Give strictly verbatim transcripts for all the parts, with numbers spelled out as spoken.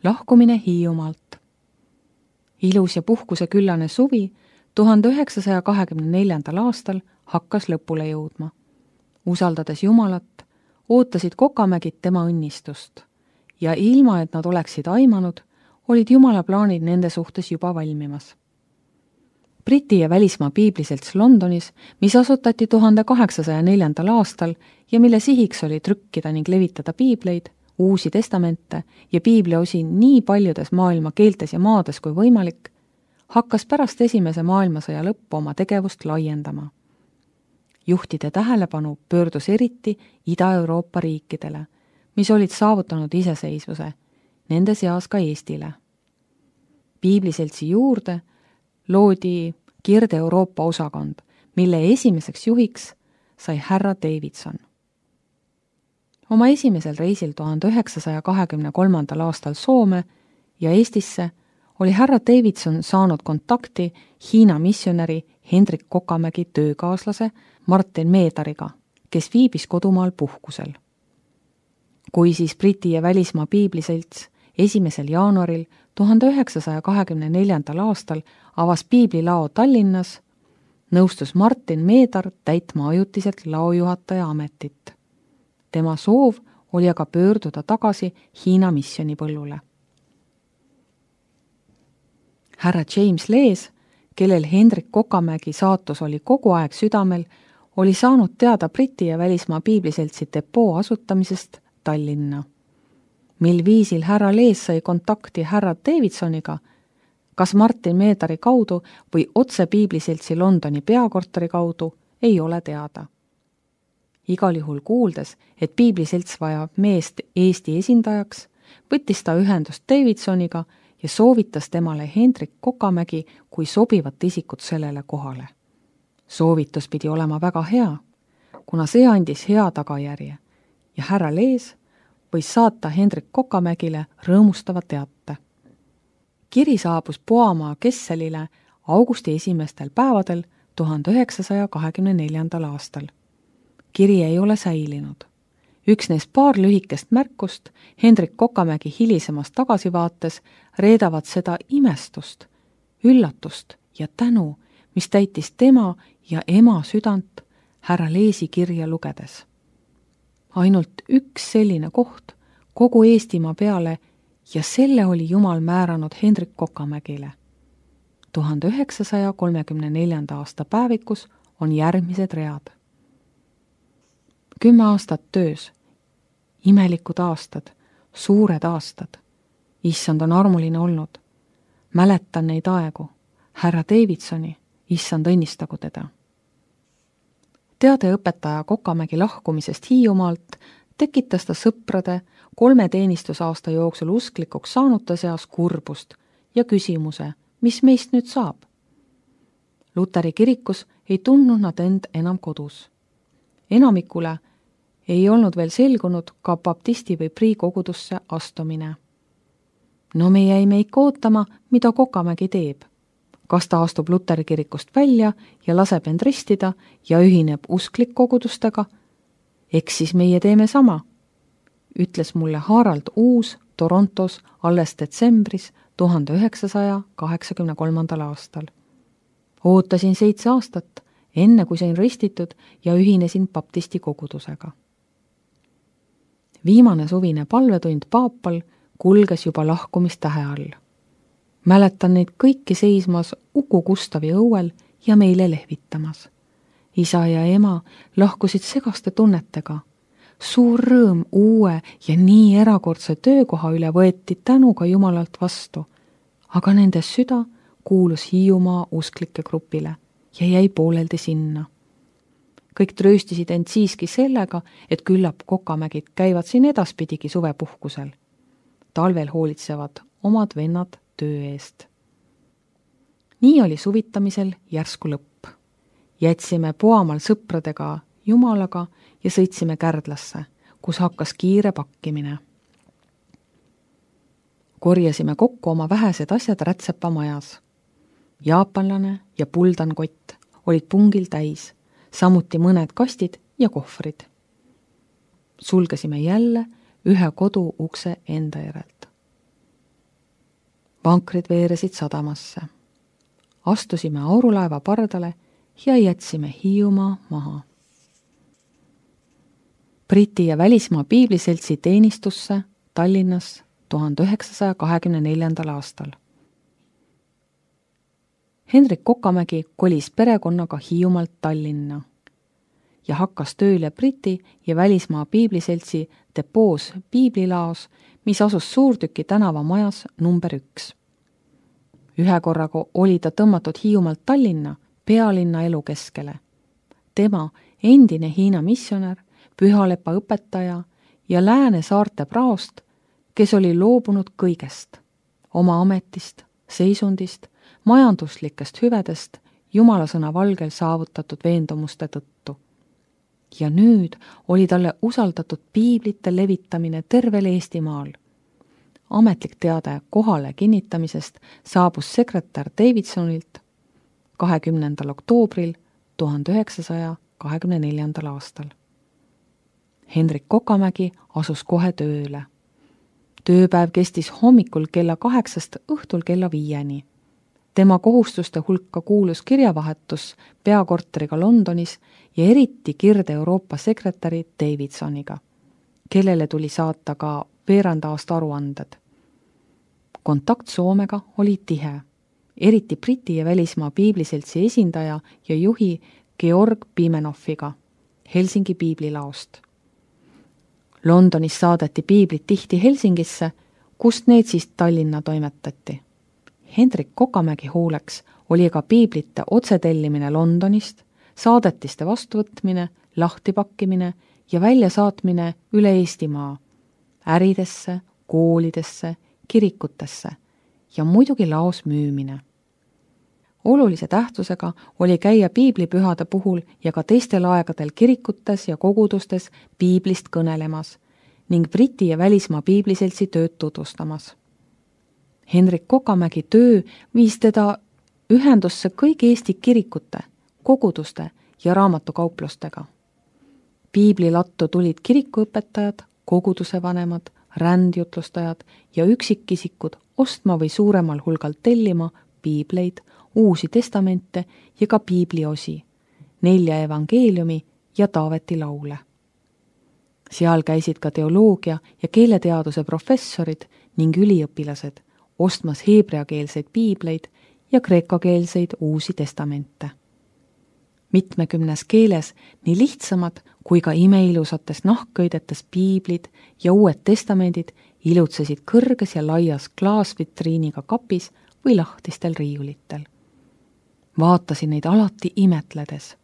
Lahkumine Hiiumaalt. Ilus ja puhkuseküllane suvi tuhande üheksasaja kahekümne neljandal aastal hakkas lõpule jõudma. Usaldades Jumalat, ootasid Kokamägid tema õnnistust ja ilma, et nad oleksid aimanud, olid Jumala plaanid nende suhtes juba valmimas. Briti ja välismaa piibliselts Londonis, mis asutati tuhande kaheksasaja neljandal aastal ja mille sihiks oli trükkida ning levitada piibleid, uusi testamente ja piibliosi nii paljudes maailma keeltes ja maades kui võimalik, hakkas pärast esimese maailmasõja lõppu oma tegevust laiendama. Juhtide tähelepanu pöördus eriti Ida-Euroopa riikidele, mis olid saavutanud iseseisvuse, nende seas ka Eestile. Piibliseltsi juurde loodi Kirde-Euroopa osakond, mille esimeseks juhiks sai härra Davidson. Oma esimesel reisil tuhande üheksasaja kahekümne kolmandal aastal Soome ja Eestisse oli härra Davidson saanud kontakti Hiina missionäri Hendrik Kokamägi töökaaslase Martin Meedariga, kes viibis kodumaal puhkusel. Kui siis Briti ja välismaa piibliselts esimesel jaanuaril tuhande üheksasaja kahekümne neljandal aastal avas piiblilao Tallinnas, nõustus Martin Meedar täitma ajutiselt laojuhataja ametit. Tema soov oli aga pöörduda tagasi Hiina missionipõllule. Härra James Lees, kellel Hendrik Kokamägi saatus oli kogu aeg südamel, oli saanud teada Briti ja välismaa piibliseltsi depoo asutamisest Tallinna. Mil viisil härra Lees sai kontakti härra Davidsoniga, kas Martin Meedari kaudu või otse piibliseltsi Londoni peakorteri kaudu, ei ole teada. Igal juhul kuuldes, et piibliselts vajab meest Eesti esindajaks, võttis ta ühendust Davidsoniga ja soovitas temale Hendrik Kokamägi kui sobivat isikut sellele kohale. Soovitus pidi olema väga hea, kuna see andis hea tagajärje ja härra Lees võis saata Hendrik Kokamägile rõõmustava teate. Kiri saabus Poamaa Kesselile augusti esimestel päevadel tuhande üheksasaja kahekümne neljandal aastal. Kiri ei ole säilinud. Üksnes paar lühikest märkust Hendrik Kokamägi hilisemas tagasivaates reedavad seda imestust, üllatust ja tänu, mis täitis tema ja ema südant härra Leesi kirja lugedes. Ainult üks selline koht kogu Eestimaa peale ja selle oli Jumal määranud Hendrik Kokamägile. tuhande üheksasaja kolmekümne neljanda aasta päevikus on järgmised read. Kümme aastat töös, imelikud aastad, suured aastad. Issand on armuline olnud. Mäletan neid aegu. Härra Davidsoni, issand õnnistagu teda. Teade õpetaja Kokamägi lahkumisest Hiiumaalt tekitas ta sõprade kolme teenistusaasta jooksul usklikuks saanute seas kurbust ja küsimuse, mis meist nüüd saab. Luteri kirikus ei tundnud nad end enam kodus. Enamikule ei olnud veel selgunud ka baptisti või prii kogudusse astumine. No me jäime ikka ootama, mida Kokamägi teeb. Kas ta astub Luteri kirikust välja ja laseb end ristida ja ühineb usklikkogudustega? Eks siis meie teeme sama, ütles mulle Harald Uus Torontos alles detsembris tuhande üheksasaja kaheksakümne kolmandal aastal. Ootasin seitse aastat, enne kui sain ristitud ja ühinesin baptisti kogudusega. Viimane suvine palvetund paapal kulges juba lahkumistähe all. Mäletan neid kõiki seismas Uku Gustavi õuel ja meile lehvitamas. Isa ja ema lahkusid segaste tunnetega. Suur rõõm uue ja nii erakordse töökoha üle võeti tänuga Jumalalt vastu, aga nende süda kuulus Hiiumaa usklike grupile ja jäi pooleldi sinna. Kõik trööstisid end siiski sellega, et küllap Kokamägid käivad siin edaspidigi suvepuhkusel. Talvel hoolitsevad omad vennad töö eest. Nii oli suvitamisel järsku lõpp. Jätsime Poamaal sõpradega Jumalaga ja sõitsime Kärdlasse, kus hakkas kiire pakkimine. Korjasime kokku oma vähesed asjad Rätsepa majas. Jaapanlane ja puldankott olid pungil täis, samuti mõned kastid ja kohvrid. Sulgesime jälle ühe kodu ukse enda järelt. vankrid veeresid sadamasse. Astusime aurulaeva pardale ja jätsime Hiiumaa maha. Briti ja välismaa piibliseltsi teenistusse Tallinnas tuhande üheksasaja kahekümne neljandal aastal. Hendrik Kokamägi kolis perekonnaga Hiiumaalt Tallinna ja hakkas tööle Briti ja välismaa piibliseltsi depoos piiblilaos, mis asus Suurtüki tänava majas number üks. Ühe korraga oli ta tõmmatud Hiiumaalt Tallinna pealinna elukeskele. Tema, endine Hiina missionär, pühalepa õpetaja ja Lääne saarte praost, kes oli loobunud kõigest, oma ametist, seisundist, majanduslikest hüvedest, Jumala sõna valgel saavutatud veendumuste tõttu. Ja nüüd oli talle usaldatud piiblite levitamine tervel Eestimaal. Ametlik teade kohale kinnitamisest saabus sekretär Davidsonilt kahekümnendal oktoobril tuhande üheksasaja kahekümne neljandal aastal. Hendrik Kokamägi asus kohe tööle. Tööpäev kestis hommikul kella kaheksast õhtul kella viieni. Tema kohustuste hulka kuulus kirjavahetus peakorteriga Londonis ja eriti Kirde-Euroopa sekretäri Davidsoniga, kellele tuli saata ka veerand aasta aruanded. Kontakt Soomega oli tihe, eriti Briti ja välismaa piibliseltsi esindaja ja juhi Georg Pimenoffiga Helsingi piiblilaost. Londonis saadeti piiblid tihti Helsingisse, kust need siis Tallinna toimetati. Hendrik Kokamägi hooleks oli ka piiblite otsetellimine Londonist, saadetiste vastuvõtmine, lahtipakkimine ja väljasaatmine üle Eestimaa, äridesse, koolidesse, kirikutesse ja muidugi laos müümine. Olulise tähtsusega oli käia piiblipühade puhul ja ka teistel aegadel kirikutes ja kogudustes piiblist kõnelemas ning Briti ja välismaa piibliseltsi tööd tutvustamas. Hendrik Kokamägi töö viis teda ühendusse kõigi Eesti kirikute, koguduste ja raamatukauplustega. Piiblilattu tulid kirikuõpetajad, koguduse vanemad, rändjutlustajad ja üksikisikud ostma või suuremal hulgal tellima piibleid, uusi testamente ja ka piibliosi, nelja evangeeliumi ja Taaveti laule. Seal käisid ka teoloogia ja keeleteaduse professorid ning üliõpilased, ostmas heebreakeelseid piibleid ja kreekakeelseid uusi testamente. Mitmekümnes keeles nii lihtsamad kui ka imeilusates nahkköidetes piiblid ja uued testamendid ilutsesid kõrges ja laias klaasvitriiniga kapis või lahtistel riiulitel. Vaatasin neid alati imetledes.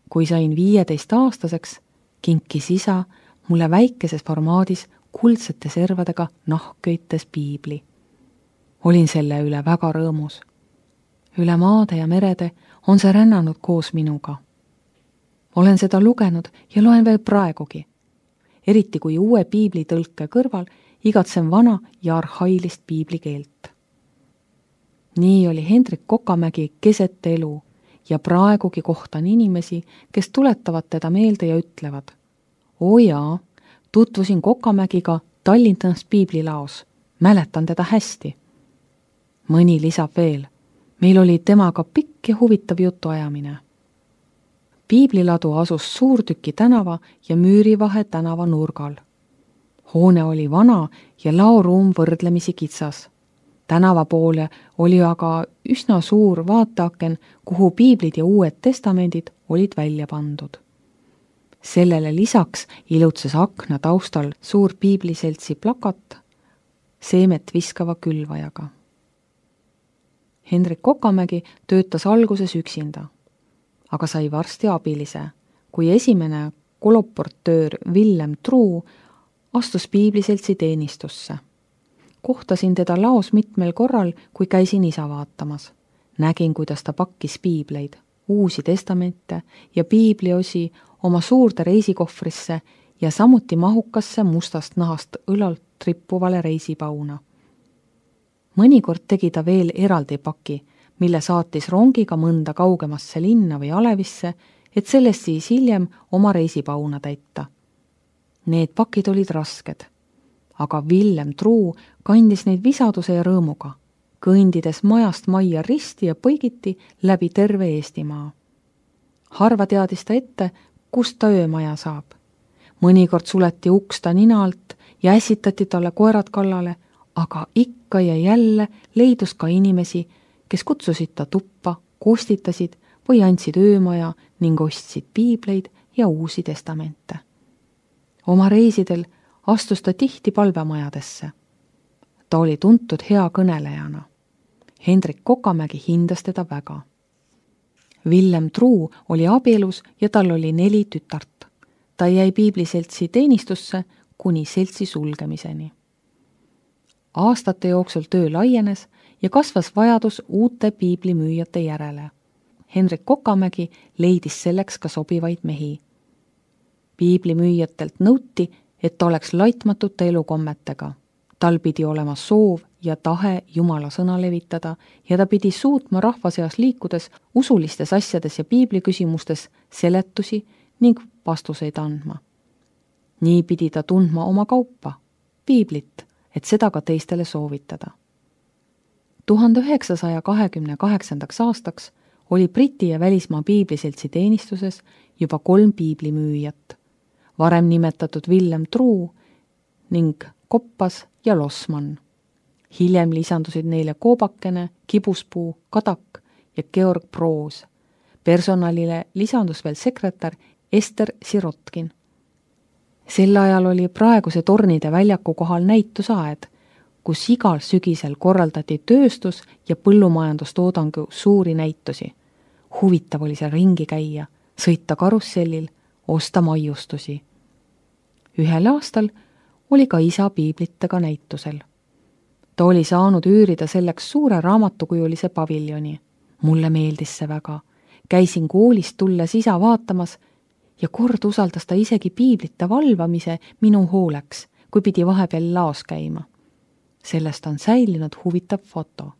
Kui sain viieteist aastaseks, kinkis isa mulle väikeses formaadis kuldsete servadega nahkköites piibli. Olin selle üle väga rõõmus. Üle maade ja merede on see rännanud koos minuga. Olen seda lugenud ja loen veel praegugi. Eriti kui uue piiblitõlke kõrval igatsen vana ja arhailist piiblikeelt. Nii oli Hendrik Kokamägi keset elu ja praegugi kohtan inimesi, kes tuletavad teda meelde ja ütlevad: "O jaa, tutvusin Kokamägiga Tallinnas piiblilaos, mäletan teda hästi." Mõni lisab veel: "Meil oli temaga pikk ja huvitav jutuajamine." Piibliladu asus Suurtüki tänava ja Müürivahe tänava nurgal. Hoone oli vana ja laoruum võrdlemisi kitsas. Tänava poole oli aga üsna suur vaateaken, kuhu piiblid ja uued testamendid olid välja pandud. Sellele lisaks ilutses akna taustal suur piibliseltsi plakat seemet viskava külvajaga. Hendrik Kokamägi töötas alguses üksinda, aga sai varsti abilise, kui esimene koloportöör Villem Truu astus piibliseltsi teenistusse. Kohtasin teda laos mitmel korral, kui käisin isa vaatamas. Nägin, kuidas ta pakkis piibleid, uusi testamente ja piibliosi oma suurde reisikohvrisse ja samuti mahukasse mustast nahast õlalt trippuvale reisipauna. Mõnikord tegi ta veel eraldi paki, mille saatis rongiga mõnda kaugemasse linna või Alevisse, et sellest siis hiljem oma reisipauna täita. Need pakid olid rasked, aga Villem Truu kandis neid visaduse ja rõõmuga, kõndides majast majja risti ja põigiti läbi terve Eestimaa. Harva teadis ta ette, kust ta öömaja saab. Mõnikord suleti uks ta nina alt ja ässitati talle koerad kallale, aga ikka ja jälle leidus ka inimesi, kes kutsusid ta tuppa, kostitasid või andsid öömaja ning ostsid piibleid ja uusi testamente. Oma reisidel astus ta tihti palvemajadesse. Ta oli tuntud hea kõnelejana. Hendrik Kokamägi hindas teda väga. Villem Truu oli abielus ja tal oli neli tütart. Ta jäi piibliseltsi teenistusse kuni seltsi sulgemiseni. Aastate jooksul töö laienes ja kasvas vajadus uute piiblimüüjate järele. Hendrik Kokamägi leidis selleks ka sobivaid mehi. Piiblimüüjatelt nõuti, et ta oleks laitmatute elukommetega. Tal pidi olema soov ja tahe Jumala sõna levitada ja ta pidi suutma rahva seas liikudes usulistes asjades ja piibliküsimustes seletusi ning vastuseid andma. Nii pidi ta tundma oma kaupa, piiblit, et seda ka teistele soovitada. tuhande üheksasaja kahekümne kaheksandaks aastaks oli Briti ja välismaa piibliseltsi teenistuses juba kolm piiblimüüjat, varem nimetatud Villem Truu ning Koppas ja Lossmann. Hiljem lisandusid neile Koobakene, Kibuspuu, Kadak ja Georg Proos. Personalile lisandus veel sekretär Ester Sirotkin. Sel ajal oli praeguse Tornide väljaku kohal näitusaed, kus igal sügisel korraldati tööstus- ja põllumajandustoodangu suuri näitusi. Huvitav oli seal ringi käia, sõita karussellil, osta maiustusi. Ühel aastal oli ka isa piiblitega näitusel. Ta oli saanud üürida selleks suure raamatukujulise paviljoni. Mulle meeldis see väga. Käisin koolist tulles isa vaatamas ja kord usaldas ta isegi piiblite valvamise minu hooleks, kui pidi vahepeal laos käima. Sellest on säilinud huvitav foto.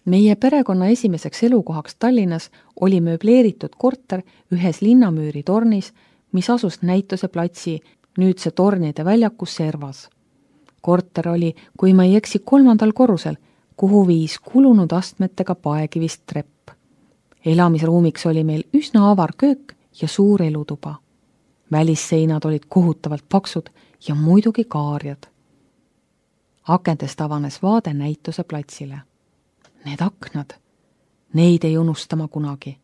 Meie perekonna esimeseks elukohaks Tallinnas oli mööbleeritud korter ühes linnamüüri tornis, mis asus näituse platsi nüüdse Tornide väljaku servas. Korter oli, kui ma ei eksi, kolmandal korrusel, kuhu viis kulunud astmetega paekivist trepp. Elamisruumiks oli meil üsna avar köök ja suur elutuba. Välisseinad olid kohutavalt paksud ja muidugi kaarjad. Akendest avanes vaade näituse platsile. Need aknad, neid ei unustama kunagi.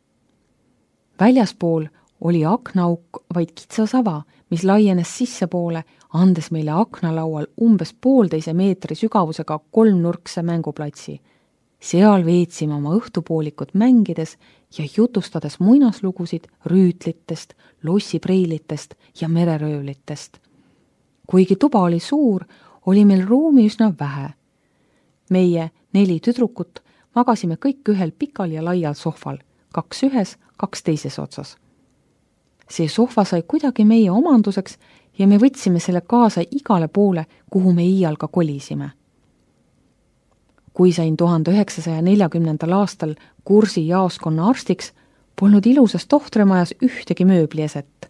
Väljaspool oli aknaauk vaid kitsasava, mis laienes sissepoole, andes meile aknalaual umbes poolteise meetri sügavusega kolmnurkse mänguplatsi. Seal veetsime oma õhtupoolikut mängides ja jutustades muinaslugusid rüütlitest, lossipreilitest ja mereröövlitest. Kuigi tuba oli suur, oli meil ruumi üsna vähe. Meie neli tüdrukut magasime kõik ühel pikal ja laial sohval, kaks ühes, kaks teises otsas. See sohva sai kuidagi meie omanduseks ja me võtsime selle kaasa igale poole, kuhu me iial ka kolisime. Kui sain tuhande üheksasaja neljakümnendal aastal kursi jaoskonna arstiks, polnud ilusas tohtrimajas ühtegi mööblieset.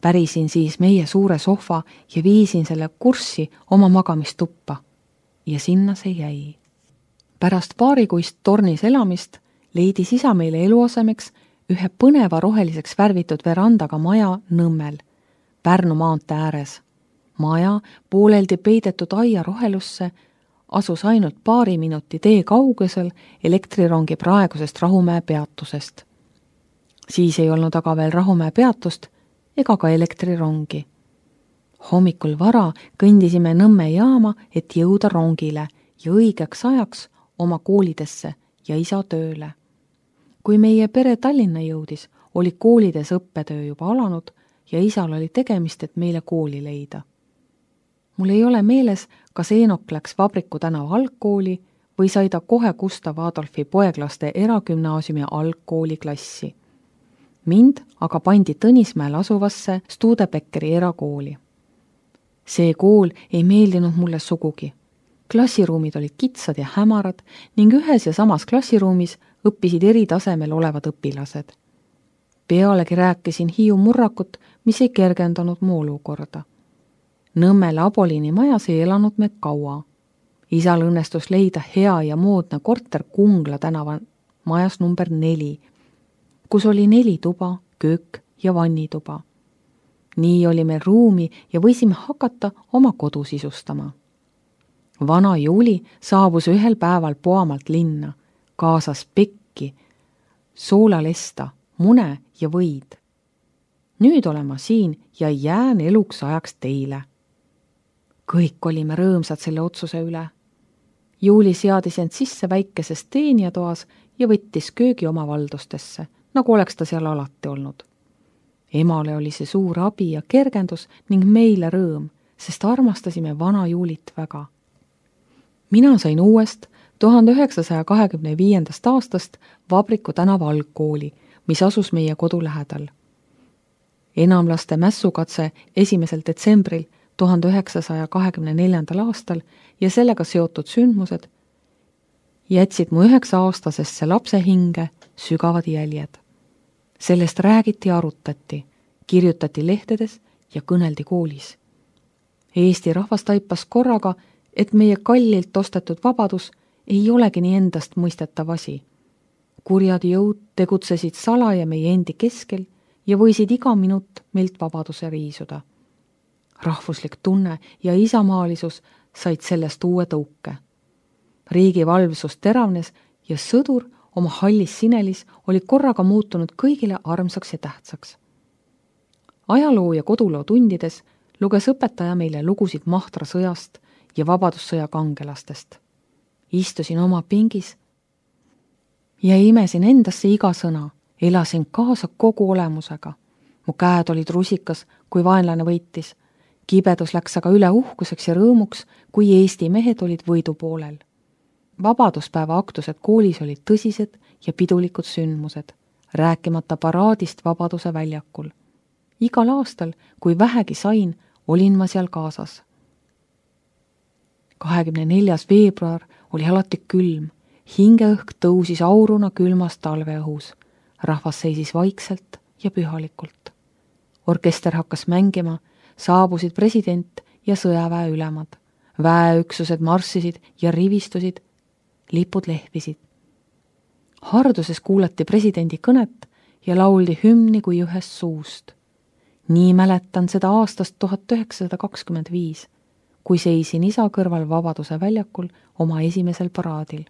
Pärisin siis meie suure sohva ja viisin selle kurssi oma magamistuppa ja sinna see jäi. Pärast paarikuist tornis elamist leidis isa meile eluasemeks ühe põneva roheliseks värvitud verandaga maja Nõmmel, Pärnu maantee ääres. Maja pooleldi peidetud aia rohelusse asus ainult paari minuti tee kaugusel elektrirongi praegusest Rahumäe peatusest. Siis ei olnud aga veel Rahumäe peatust ega ka elektrirongi. Hommikul vara kõndisime Nõmme jaama, et jõuda rongile ja õigeks ajaks oma koolidesse ja isa tööle. Kui meie pere Tallinna jõudis, oli koolides õppetöö juba alanud ja isal oli tegemist, et meile kooli leida. Mul ei ole meeles, kas Eenok läks Vabriku tänava algkooli või sai ta kohe Gustav Adolfi poeglaste eragümnaasiumi algkooli klassi. Mind aga pandi Tõnismäel asuvasse Studebeckeri erakooli. See kool ei meeldinud mulle sugugi. Klassiruumid olid kitsad ja hämarad ning ühes ja samas klassiruumis õppisid eri tasemel olevad õpilased. Pealegi rääkisin Hiiu murrakut, mis ei kergendanud mu olukorda. Nõmmel Abolini majas ei elanud me kaua. Isal õnnestus leida hea ja moodne korter Kungla tänava majas number neli, kus oli neli tuba, köök ja vannituba. Nii oli meil ruumi ja võisime hakata oma kodu sisustama. Vana Juuli saabus ühel päeval Poamalt linna, kaasas pekki, soolalesta, mune ja võid. Nüüd olen ma siin ja jään eluks ajaks teile. Kõik olime rõõmsad selle otsuse üle. Juuli seadis end sisse väikeses teenijatoas ja võttis köögi oma valdustesse, nagu oleks ta seal alati olnud. Emale oli see suur abi ja kergendus ning meile rõõm, sest armastasime vana Juulit väga. Mina sain uuest tuhande üheksasaja kahekümne viiendast aastast Vabriku tänava algkooli, mis asus meie kodu lähedal. Enamlaste mässukatse esimesel detsembril tuhande üheksasaja kahekümne neljandal aastal ja sellega seotud sündmused jätsid mu üheksa-aastasesse lapse hinge sügavad jäljed. Sellest räägiti ja arutati, kirjutati lehtedes ja kõneldi koolis. Eesti rahvas taipas korraga, et meie kallilt ostetud vabadus ei olegi nii endast mõistetav asi. Kurjad jõud tegutsesid salaja meie endi keskel ja võisid iga minut meilt vabaduse riisuda. Rahvuslik tunne ja isamaalisus said sellest uue tõuke. Riigi valvsus teravnes ja sõdur oma hallis sinelis oli korraga muutunud kõigile armsaks ja tähtsaks. Ajaloo ja koduloo tundides luges õpetaja meile lugusid Mahtra sõjast ja vabadussõja kangelastest. Istusin oma pingis ja imesin endasse iga sõna, elasin kaasa kogu olemusega. Mu käed olid rusikas, kui vaenlane võitis. Kibedus läks aga üle uhkuseks ja rõõmuks, kui Eesti mehed olid võidu poolel. Vabaduspäeva aktused koolis olid tõsised ja pidulikud sündmused, rääkimata paraadist Vabaduse väljakul. Igal aastal, kui vähegi sain, olin ma seal kaasas. kahekümne neljas veebruar oli alati külm, hingeõhk tõusis auruna külmas talveõhus, rahvas seisis vaikselt ja pühalikult. Orkester hakkas mängima, saabusid president ja sõjaväe ülemad, väeüksused marssisid ja rivistusid, lipud lehvisid. Harduses kuulati presidendi kõnet ja lauldi hümni kui ühest suust. Nii mäletan seda aastast tuhat üheksasada kakskümmend viis, kui seisin isa kõrval Vabaduse väljakul oma esimesel paraadil.